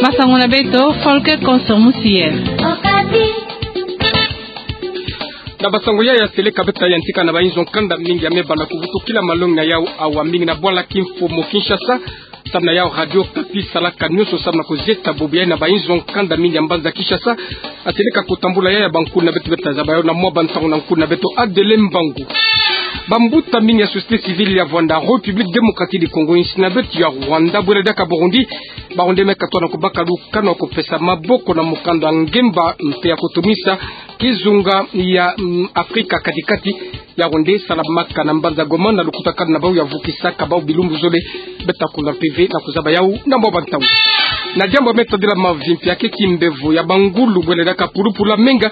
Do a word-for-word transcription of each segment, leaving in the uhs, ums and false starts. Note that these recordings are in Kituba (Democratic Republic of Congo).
Basango na beto, Folke Konso Musiel. Na basango ya ya seleka beta yantika na bainzo nkanda mingi ya me banda kuvutukila malongi na yau awa mingi na bwala kimfumu Kinshasa. Samu na yau Radio Okapi salaka nionso samu na kuzieta bubu ya na bainzo nkanda mingi ya mbanza Kinshasa. Aseleka kutambula ya ya bankulu na beto beta zaba yau na mwa bantangu na nkulu na beto Adele Mbangu. Bambuta mingi ya société civile ya Rwanda, République démocratique du Congo, insi na beto ya Rwanda, bwela diaka Burundi, baronde me katwa na kubaka lukanu ya kupesa maboko na mukanda ngemba mpe ya kutumisa kizunga ya, mm, Afrika kati-kati, ya ronde salamaka na mbanza Goma na lukutakanu na bau ya vukisaka bau bilumbu zole. Beta kuna mpeve na kuzaba yau na mwa bantangu. Na diambu me tadila mavi mpe ya ke kimbevo ya bangulu bwela diaka pulupulu ya menga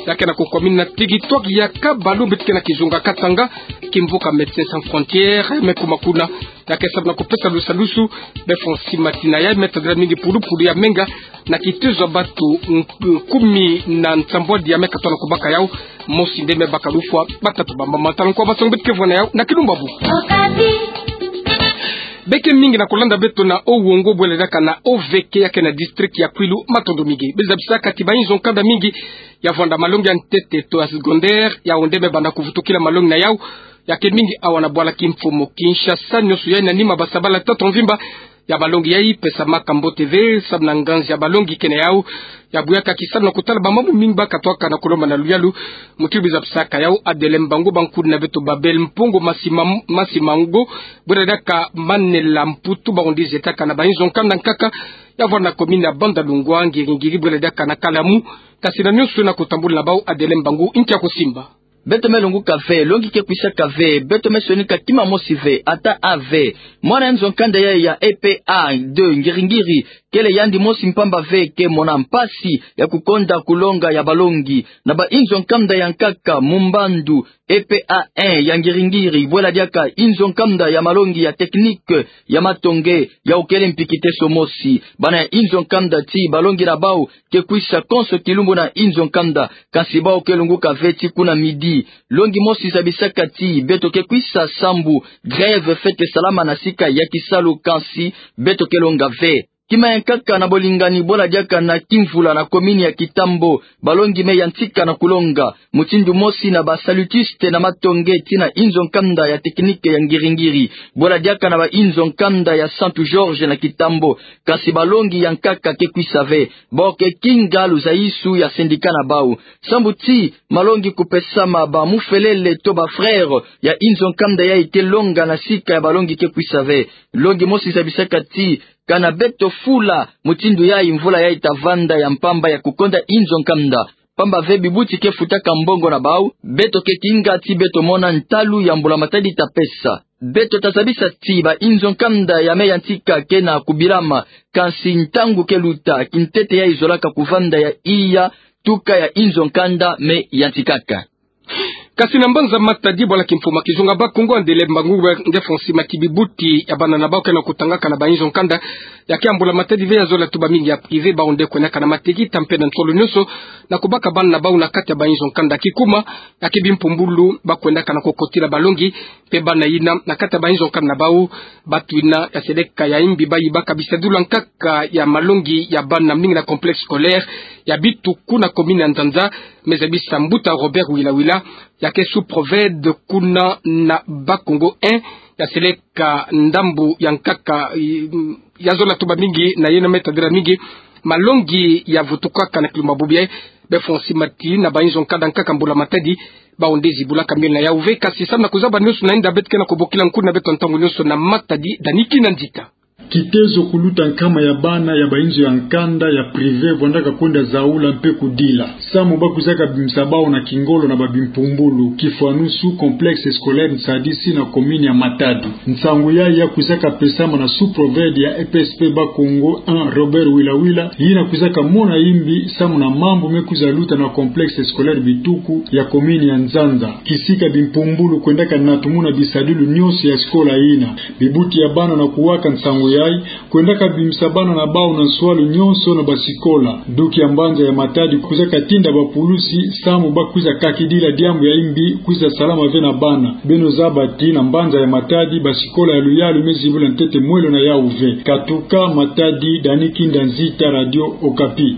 ya ke na kukwamina na territoire ya Kabalu mbeti ke na kizunga Katanga, kimvuka Médecins Sans Frontières me kuma kuna ya ke samu na kupesa lusalusu. Be fwa nsi matina ya me tadila mingi pulupulu ya menga na kitezo ya batu nk-, kumi na nsambwadi ya me katwa na kubaka yau, mosi nde me baka lufwa, batatu bamba matala. Nkwa basango beti ke vwa na yau na kilumbabu. Be ke mingi na kulanda beto na Owongo bwela diaka na O V K ya ke na district ya Kwilu, matondo mingi. Be zabisaka ti bainzo nkanda mingi ya vwanda malongi ya ntete to ya secondaire, yau nde me banda kuvutukila malongi na yau ya ke mingi awa na bwala kimfumu Kinshasa, nionso ya ina nima basabala tata mvimba ya malongi ya i pesamaka mbote ve, samu na nganzi ya malongi ke na yau ya buyaka ki samu na kutala bamambu mingi ba katwaka na kulomba na luyalu. Muti bi zabisaka yau Adele Mbangu, bankulu na beto Babel Mpongo Masima, Masimango, bwela diaka Manela Mputu, baronde zietaka na bainzo nkanda nkaka ya vwanda na commune ya Bandalungwa, ngiri-ngiri bwela diaka na Kalamu, kasi na nionso na kutambula na bau. Adele Mbangu, nki ya kusimba? Beto me longuka ve, longi ke kwisaka ve, beto me sonika kima mosi ve, ata a ve. Mwana ya nzo nkanda ya, ya E P A deux, ngiri-ngiri, kele yandi mosi mpamba ve ke mona mpasi ya kukonda kulonga ya balongi. Na bainzo nkanda ya nkaka, Mumbandu, E P A un ya ngiri-ngiri, bwela diaka inzo nkanda ya malongi ya technique ya matonge, yau kele mpi kiteso mosi. Bana ya inzo nkanda ti balongi na bau ke kwisa konso kilumbu na inzo nkanda, kasi bau ke longuka ve ti kuna midi. Longi mosi zabisaka ti beto ke kwisa sambu, grève fwete salama na sika ya kisalu, kasi beto ke longa ve. Kima ya nkaka na bolingani, bwela diaka na Kimvula na commune ya Kitambo, balongi me yantika na kulonga. Mutindu mosi na ba salutistes na matonge ti na inzo nkanda ya technique ya ngiri-ngiri, bwela diaka na bainzo nkanda ya Santo Jorge na Kitambo, kasi balongi ya nkaka ke kwisa ve. Bau ke kinga luzaisu ya syndicat na bau. Sambu ti malongi kupesama, ba mufelele to ba frères ya inzo nkanda ya i ke longa na sika ya balongi ke kwisa ve. Longi mosi zabisaka ti kana beto fula mutindu ya i, mvula ya i ta vanda ya mpamba ya kukonda inzo nkanda. Mpamba ve bibuti ke futaka mbongo na bau, beto ke kinga ti beto mona ntalu ya mbula matadi ta pesa. Beto ta zabisa ti bainzo nkanda ya me yantika ke na kubilama, kasi ntangu ke luta, kintete ya i zolaka kuvanda ya iya, tuka ya inzo nkanda me yantikaka. Kasi na mbanza Matadi, bwala kimfumu ya kizunga Bakongo, Adele Mbangu, nge fwa nsi mati bibuti ya bana na bau ke na kutangaka na bainzo nkanda ya ke ya mbula matadi ve ya zola tuba mingi ya privé, bau nde kwendaka na mateki ta mpe na nsolo nionso na kubaka bana na bau na kati ya bainzo nkanda. Kikuma, ya ke bimpumbulu ba kwendaka na kukotila balongi, mpe bana yina na kati ya bainzo nkanda na bau, batu yina ya seleka ya imbi ba yibaka bisadulu ya nkaka ya malongi ya bana mingi na complexe scolaire ya Bituku na commune ya Nzanza. Me zabisa mbuta Robert Wila Wila, ya ke sous-préfet kuna na Bakongo un, ya seleka ndambu ya nkaka, i, ya zola tuba mingi na yeno me tadila mingi malongi ya vutukaka na kilumbabu bia. Be fwa nsi mati na bainzo nkanda nkaka mbula matadi, bau nde zibulaka miole na yau ve, kasi samu na kuzaba nionso na inda, beto ke na kubokila nkulu na beto ntangu nionso na Matadi, Daniki na Ndita. Kitezo kuluta nkama ya bana ya bainzo ya nkanda ya privé vwandaka kwenda zaula mpe kudila. Samu ba kwizaka bimisa bau na kingolo na babimpumbulu, kifwanusu complexe scolaire Nsadisi na commune ya Matadi. Nsangu ya ya kwizaka pesama na sous-préfet ya E P S P Bakongo un, Robert Wila Wila, yina kwizaka mona imbi samu na mambu me kwiza luta na complexe scolaire Bituku ya commune ya Nzanza. Kisika bimpumbulu kwendaka natumuna bisadulu nionso ya sikola yina. Bibuti ya bana na kuwaka nsangu yayi, kwendaka bimisa bana na bawu na nswalu nyonso na basikola. Duki ya mbanza ya Matadi kwiza katinda bapulusi samu bakwiza kakidila diambu ya imbi kwiza salama ve na bana. Beno zaba ti na mbanza ya Matadi basikola ya luyalu me zibula ntete mwelo na yawu ve. Katuka Matadi, Dani Kinda Nzita, Radio Okapi.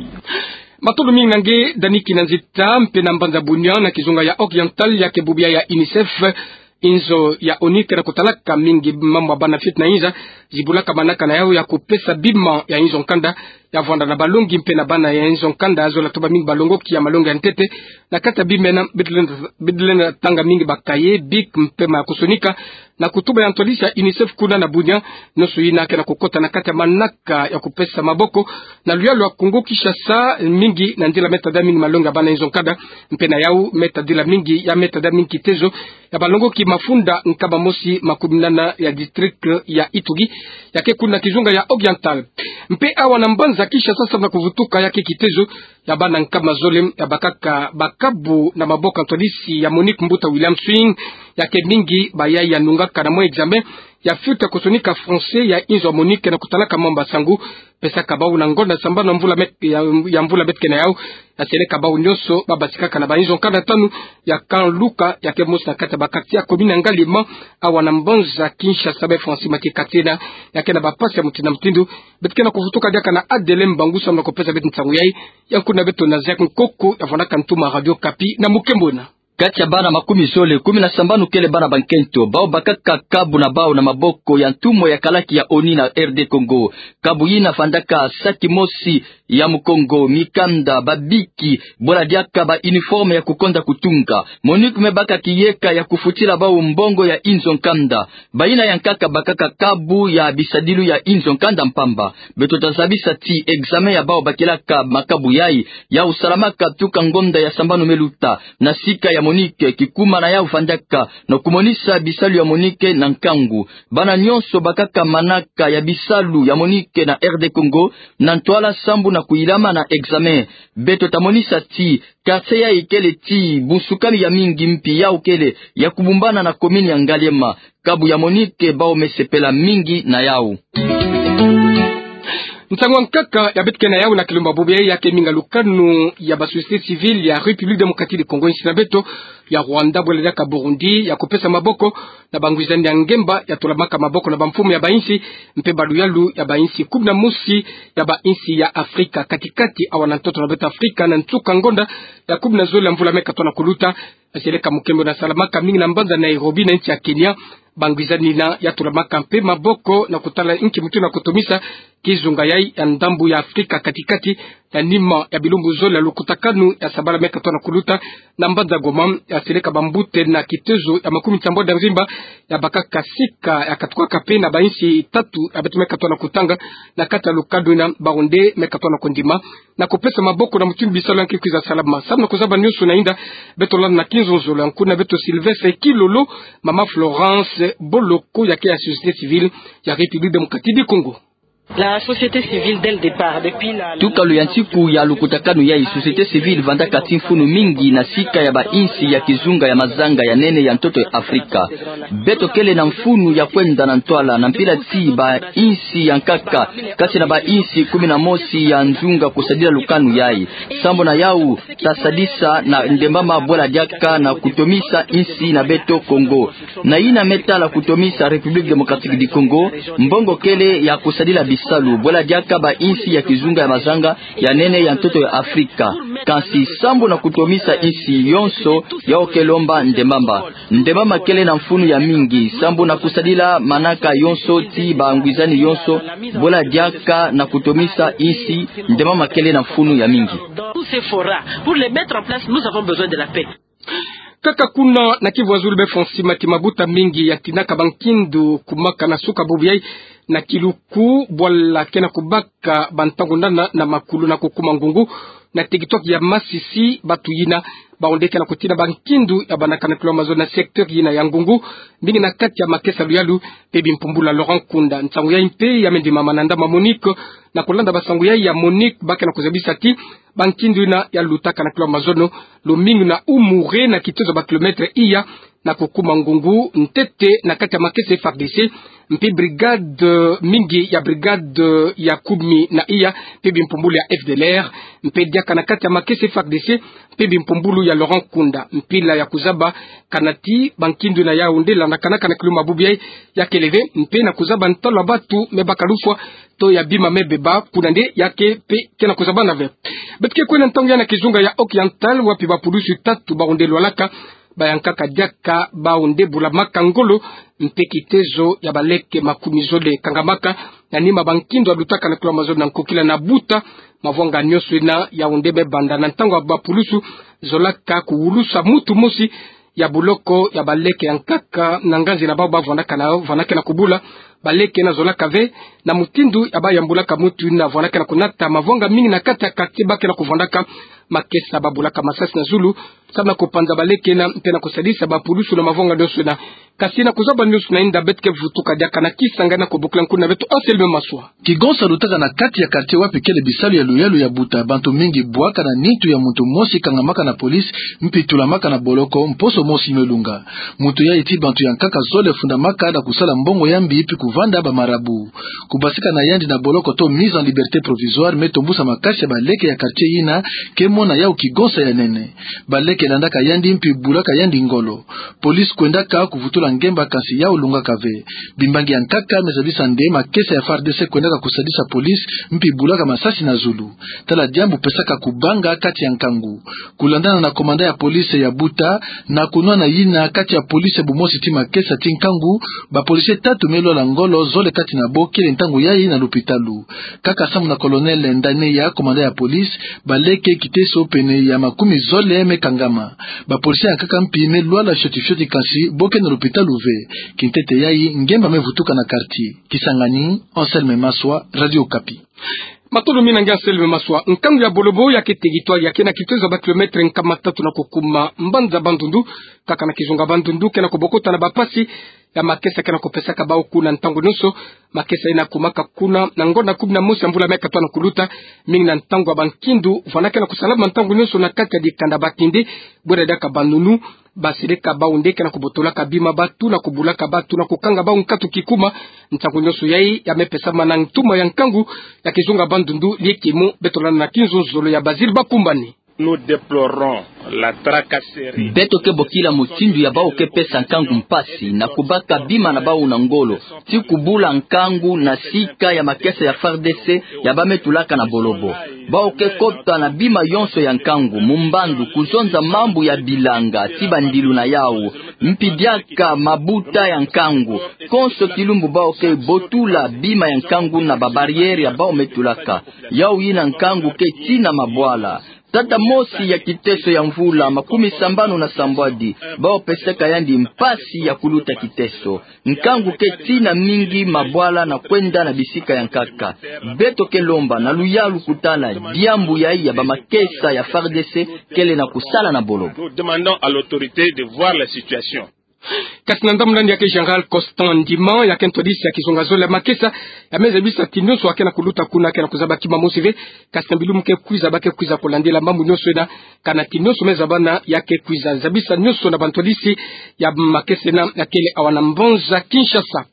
Matondo mingi na nge Dani Kinda Nzita. Mpe na mbanza Bunia na kizunga ya Oriental, ya ke bubu yayi ya UNICEF, inzo ya ONU ke na kutalaka mingi mambu ya bana fioti na inza, zibulaka manaka na yawu ya kupesa bima ya inzo nkanda ya vwanda na balongi mpe na bana ya inzo nkanda, zola toba mingi balongoki ya malongi ya ntete. Na kati ya bima yina, beto lenda, beto lenda tanga mingi ba cahier, bic mpe makusonika, na kutuba ya ntwadisi ya UNICEF kuna na Bunia, nyonso yina ke na kukota na kati ya manaka ya kupesa maboko na luyalu ya Kongo Kinshasa, mingi na nzila me tadila mingi malongi ya bana inzo nkanda, mpe na yawu me tadila mingi, ya me tadila mingi kitezo ya balongoki mafunda nkama mosi makumi nana ya district ya Ituri, ya ke kuna kizunga ya Oriental. Mpe awa na mbanza Kinshasa, samu na kuvutuka ya ke kitezo ya bana nkama zole ya bakaka bakabu na maboko ya ntwadisi ya MONUC mbuta William Swing, ya ke mingi bayayi ya nungaka na mwa examen ya fioti ya kusonika français ya inzo ya MONUC ke na kutalaka mambu ya nsangu, pesaka bawu na ngonda sambanu ya mvula met-, ya, ya mvula beto ke na yawu, ya seleka bawu nyonso babatikaka na ba inzo nkanda tanu ya Camp Luka, ya ke mosi na kati ya ba quartier ya commune ya Ngaliema, awa na mbanza Kinshasa. Be Francis Mathieu Katena, ya ke na bapasi ya mutindu na mutindu. Beto ke na kuvutuka diaka na Adelin Mbangu samu na kupesa beto nsangu yayi. Ya kuna beto na Jacques Nkoko, ya vwandaka ntuma Radio Okapi na mukembona. Kati ya bana makumi zole, kumi na sambanu kele bana bankento, bawu bakaka kabu na bawu na maboko ya ntumwa ya kalaki ya ONU na R D Congo. Kabu yina vandaka saki mosi ya mukongo, mikanda, ba bic, bwela diaka ba uniforme ya kukonda kutunga. MONUC me baka kiyeka ya kufutila bawu mbongo ya inzo nkanda. Bayina ya nkaka bakaka kabu ya bisadilu ya inzo nkanda mpamba. Beto ta zabisa ti examen ya bawu bakilaka makabu yayi, yawu salamaka tuka ngonda ya sambanu me luta, na sika ya MONUC kikuma na yawu vandaka, na kumonisa bisalu ya MONUC na nkangu. Bana nyonso bakaka manaka ya bisalu ya MONUC na R D Congo na ntwala sambu na kuyilama na examen. Beto ta monisa ti quartier yayi kele ti bunsukami ya mingi mpi yawu kele ya kubumbana na commune ya Ngaliema. Kabu ya MONUC bawu me sepela mingi na yawu. Nsangu ya nkaka ya beto ke na yawu na kilumbu bubu yayi ya ke minga lukanu ya ba société civile ya République Démocratique du Congo, insi na beto, ya Rwanda, bwela diaka Burundi, ya kupesa maboko na bangwizani ya ngemba ya tulamaka maboko na bamfumu ya bainsi, mpe baluyalu ya bainsi kumi na mosi ya bainsi ya Afrika kati-kati, awa na ntoto na beto Afrika, na nsuka ngonda ya kumi na zole ya mvula me katoa na kuluta. Aseleka mukembona salamaka mingi na mbanza Nairobi na insi ya Kenya. Bangwizani yina ya tulamaka mpe maboko na kutala inki mutindu na kutomisa kizunga yayi ya ndambu ya Afrika kati-kati, ya nima ya bilumbu zole ya lukutakanu ya sabala me katoa na kuluta, na mbanza Goma, ya seleka bambote na kitezo ya makumi nsambwadi ya mvimba, ya bakaka sika ya katukaka mpe na bainsi tatu ya beto me katoa na kutanga na kati ya lukanu yina, Burundi me katoa na kundima na kupesa maboko na mutindu bisalu ya nki kwiza salama. Samu na kuzaba nyonso na inda, beto landa na kinzonzolo ya nkuna beto Sylvestre Kilolo, mama Florence Boloko, ya ke ya société civile ya République Démocratique du Congo. La société civile, dès le départ, depuis la, la, tuka luyantiku ya lukutakanu yayi, société civile vandaka ti mfunu mingi na sika ya bainsi ya kizunga ya mazanga ya nene ya ntoto ya Afrika. Beto kele na mfunu ya kwenda na ntwala na mpila ti bainsi ya nkaka, kati na bainsi kumi na mosi ya nzunga kusadila lukanu yayi. Sambu na yawu, ta sadisa na ndembama bwela diaka na kutomisa insi na beto Congo. Na yina me tala kutomisa République Démocratique du Congo, mbongo kele ya kusadila bisalu, bwela diaka bainsi ya kizunga ya mazanga ya nene ya ntoto ya Afrika. Kansi sambu na kutomisa insi yonso, yawu ke lomba ndembama. Ndembama kele na mfunu ya mingi, sambu na kusadila manaka yonso ti bangwizani yonso, bwela diaka na kutomisa insi, ndembama kele na mfunu ya mingi. Tous ces forats, pour les mettre en place, nous avons besoin de la paix. Kaka kuna na Kivu ya Zulu, be Francis Mati, mabuta mingi ya tinaka bankindu kumaka na suka bubu yayi na kiluku, bwala ke na kubaka bantangu nana na makulu na kukuma ngungu na territoire ya Masisi. Batu yina bawu nde ke na kutina bankindu ya bandakana kilomètre na secteur yina ya ngungu, mingi na kati ya makesa luyalu mpe bimpumbula. Laurent Nkunda. Nsangu yayi mpe ya me ndimama na ndambu ya MONUC. Na kulanda bansangu yayi ya MONUC, ba ke na kuzabisa ti bankindu yina ya lutaka na kilomètre, lumingu na umure na kitezo ba kilomètre iya na kukuma ngungu ntete na kati ya makesa F A R D C. mpe brigade, eh, mingi ya brigade, eh, ya kumi na iya, mpe bimpumbulu ya F D L R, mpe diaka na kati ya makesa F A R D C, mpe bimpumbulu ya Laurent Nkunda. Mpila ya kuzaba kanati bankindu na yawu nde landakanaka na kilumbu bubu yayi ya kele ve, mpe na kuzaba ntalu ya batu me baka lufwa, to ya bima me beba, kuna nde ya ke mpe ke na kuzabana ve. Beto ke kwenda ntangu ya na kizunga ya Occidental, wapi bapulusu tatu bawu nde lwalaka, bayankaka diaka bawu nde bulamaka ngolo, mpe kitezo ya baleke makumi zole kangamaka, na nima bankindu alutaka na kilomètre zole na nkokila na buta mavanga nyonso ina. Yawu nde me banda na ntangu ya bapulusu zolaka kuwulusa mutu mosi ya buloko ya baleke yankaka na nganzi na bawu bavandaka na, vandaka na kubula. Baleke na zolaka ve na mutindu ya bayambulaka mutu ina, vandaka na kunata mavanga mingi na kati ya quartier ba ke na kuvandaka. Makesa babulaka masasi na zulu, samu na kupanza baleke ina, mpe na kusadisa bapulusu na mavanga nyonso ina. Kasi na kuzaba nyonso ina, inda beto ke vutuka diaka na Kisangani na kubokila nkuna beto Anselme Maswa. Kigonsa lutaka na kati ya quartier wapi kele bisalu ya luyalu ya buta, bantu mingi bwaka na nitu ya muntu mosi kangamaka na police, mpe tulamaka na boloko mposo mosi me lunga. Muntu yayi ti bantu yankaka zole fundamaka na kusala mbongo ya mbi mpe kuvanda bamarabu. Kubasika na yandi na boloko to mise en liberté provisoire me tombusa makasi ya baleke ya quartier ina, ke mona yawu kigonsa ya nene. Baleke landaka yandi mpe bulaka yandi ngolo. Police kwendaka kuvutula ngemba, kasi yawu lungaka ve. Bimbangi yankaka me zabisa nde makesa ya F A R D C kwendaka kusadisa police mpe bulaka masasi na zulu. Tala diambu pesaka kubanga kati ya nkangu. Kulandana na commandant ya police ya buta, na kunwana yina kati ya police ya bumosi ti makesa ti nkangu, ba policier tatu me lwala ngolo, zole kati na bo kele ntangu yayi na lupitalu. Kaka samu na colonel Ndaneya, commandant ya police, baleke kiteso pene ya makumi zole me kangama. Ba policier yankaka mpi me lwala fioti fioti, kasi bo ke na lupitalu ve. Kintete yayi, ngemba me vutuka na quartier. Kisangani, Anselme Maswa, Radio Okapi. Matondo mingi na nge Anselme Maswa. Nkangu ya Bolobo ya ke territoire ya ke na kitezo ya ba kilomètre nkama tatu na kukuma mbanza Bandundu, kaka na kizunga Bandundu, ke na kubokota na bapasi ya makesa ke na kupesaka bawu kuna ntangu nyonso. Makesa ina kumaka kuna na ngonda kumi na mosi ya mvula me katoa na kuluta, mingi na ntangu ya bankindu, vana ke na kusalama ntangu nyonso na kati ya dikanda Batindi, bwela diaka banunu, baseleka bawu nde ke na kubotolaka bima batu, na kubulaka batu, na kukanga bawu nkatu kikuma. Ntangu nyonso yayi ya me pesama na ntuma ya nkangu ya kizunga Bandundu, likimu beto landa na kinzonzolo ya Basile Bakumbani. Nous déplorons la tracasserie. Beto ke bokila mutindu ya bawu ke pesa nkangu mpasi na kubaka bima na bawu na ngolo, ti kubula nkangu na sika ya makesa ya F A R D C ya ba me tulaka na Bolobo. Bawu ke kota na bima yonso ya nkangu, mumbandu, kuzonza mambu ya bilanga ti bandilu na yawu, mpi diaka mabuta ya nkangu. Konso kilumbu bawu ke botula bima ya nkangu na ba barrière ya bawu me tulaka. Yawu yina nkangu ke tina mabwala. Tata mosi ya kiteso ya mvula makumi sambanu na sambwadi, bawu pesaka yandi mpasi ya kuluta kiteso. Nkangu ke tina mingi mabwala na kwenda na bisika yankaka. Beto ke lomba na luyalu kutala diambu yayi ya bamakesa ya F A R D C kele na kusala na Bolobo. Nous demandons à l'autorité de voir la situation. Kasi na ndambu na yandi ya ke Général Constant Ndima, ya ke ntwadisi ya kizunga zole ya makesa, ya me zabisa ti nyonso ya ke na kuluta kuna ke na kuzaba kima mosi ve. Kasi na bilumbu ke kwiza, ba ke kwiza kulandila mambu nyonso ina, kana ti nyonso me zabana ya ke kwiza. Zabisa nyonso na bantwadisi ya makesa ina ya kele awa na mbanza Kinshasa.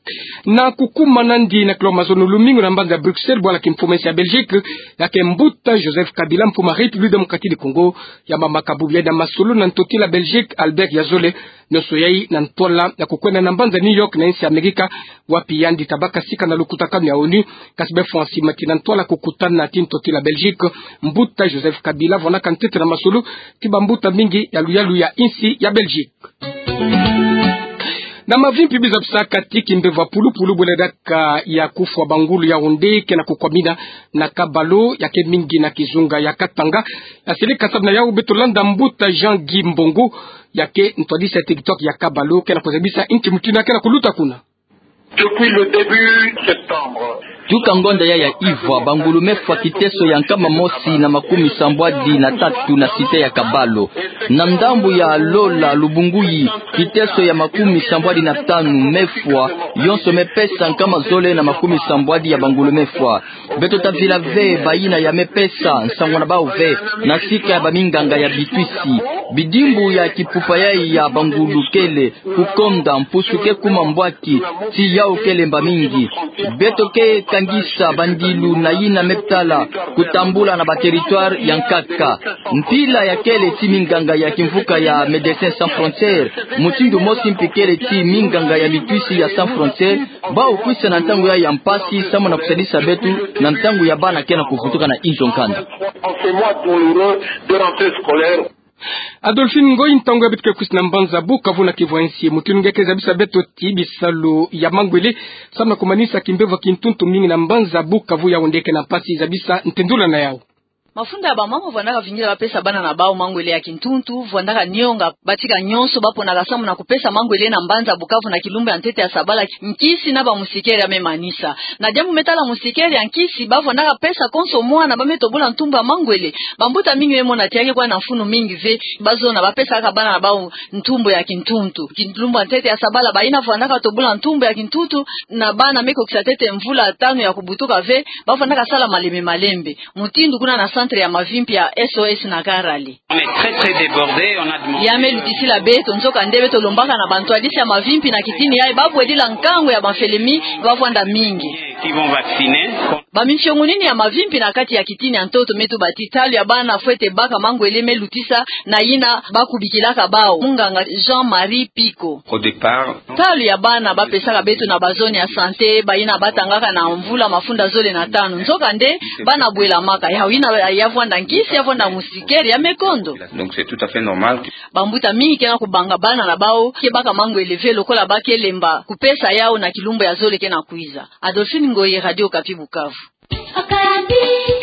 Na kukuma na yandi na kilo mazono lumingu na mbanza Bruxelles, bwala kimfumu ya Belgique, ya ke mbuta Joseph Kabila, mfumu ya République démocratique du Congo, ya mamaka bubu yayi na masolo na ntotila Belgique, Albert Yazole. Nyonso yayi na ntwala ya kukwenda na mbanza New York na insi ya Amerika, wapi yandi tabaka sika na lukutakanu ya ONU. Kasi bafwani mati na ntwala kukutana ti ntotila Belgique, mbuta Joseph Kabila vwanaka ntete na masolo ti bambuta mingi ya luyalu ya insi ya Belgique. Na mavimpi bizabisaka ti kimbevo ya pulupulu bwela diaka ya kufwa bangulu, yawu nde ke na kukwamina na Kabalo, ya ke mingi na kizunga ya Katanga. Ya seleka samu na yawu beto landa mbuta Jean Guy Mbongo, ya ke ntwadisi ya territoire ya Kabalo, ke na kuzabisa inki mutindu ya ke na kuluta kuna. Depuis le début septembre. Tuka ngonda yayi ya ivwa, bangulu me fwa kiteso ya nkama mosi na makumi sambwadi na tatu na cité ya Kabalo. Na ndambu ya Lola Lubunguyi, kiteso ya makumi sambwadi na tanu me fwa, yonso me pesa nkama zole na makumi sambwadi ya bangulu me fwa. Beto tavila ve bayina ya me pesa, nsangu na bawu ve, na sika ya baminganga ya bitwisi. Bidimbu ya kipupa yayi ya bangulu kele kukonda, mpusu ke kuma mbwaki, ti ya Au kelemba mingi. Beto ke kangisa bandilu na yina me tala kutambula na ba territoire ya nkaka. Mpila ya kele ti minganga ya kimvuka ya Médecins Sans Frontières, mutindu mosi mpe kele ti minganga ya mitwisi ya Sans Frontières, bau kwisa na ntangu ya, ya mpasi, samu na kusadisa beto na ntangu ya bana ke na kuvutuka na inzo nkanda. En ces mois douloureux de rentrée scolaire. Adolphine Ngoyi, ntangu ya beto ke kwisa na mbanza Bukavu na kivwansi, mutindu nge ke zabisa beto ti bisalu ya mangwele samu na kumanisa kimbevo ya kintuntu mingi na mbanza Bukavu, yau nde ke na mpasi, zabisa ntendula na yau. Mafunda ya bamama vwandaka vingila bapesa bana na bau mangwele ya kintuntu, vwandaka nionga batika nyonso baponaka samu na kupesa mangwele na mbanza Bukavu na kilumbu ya ntete ya sabala nkisi na bamusikere ya me manisa. Na diambu me tala musikere ya nkisi, bavwandaka pesa konso mwana ba me tobula ntumbu ya mangwele. Bambuta mingi me mona ti ya ke kwa na mfunu mingi ve, bazona bapesaka bana na bau ntumbu ya kintuntu. Kilumbu ya ntete ya sabala, bayina vwandaka tobula ntumbu ya kintuntu na bana me kokisa ntete mvula tanu ya kubutuka ve, bavwandaka sala malembe malembe. Mutindu kuna na centre ya mavimpi ya S O S na Karale. On est très, très débordé, on a demandé. Ya me lutisila beto, nzoka nde beto lombaka na bantwadisi ya mavimpi na kitini yayi babwedila nkangu ya bamfele mi bavwanda mingi. Qui vont vacciner. Baminsiongunini ya mavimpi na kati ya kitini ya ntoto me tuba ti talo ya bana fwete baka mangwele me lutisa na yina bakubikilaka bau. Munganga Jean-Marie Piko. Au départ, talo ya bana bapesaka beto na bazone ya santé, bayina batangaka na mvula mafunda zole na tanu. Nzoka nde bana bwelamaka. Yau yina ya vwanda nkisi, ya vwanda musikere, ya me kondo. Donc c'est tout à fait normal que. Bambuta mingi ke na kubanga bana na bau ke baka mangwele ve lokola ba ke lemba kupesa yau na kilumbu ya zole ke na kwiza. Adolphine Ngoyi, Radio Okapi, Bukavu. Okapi.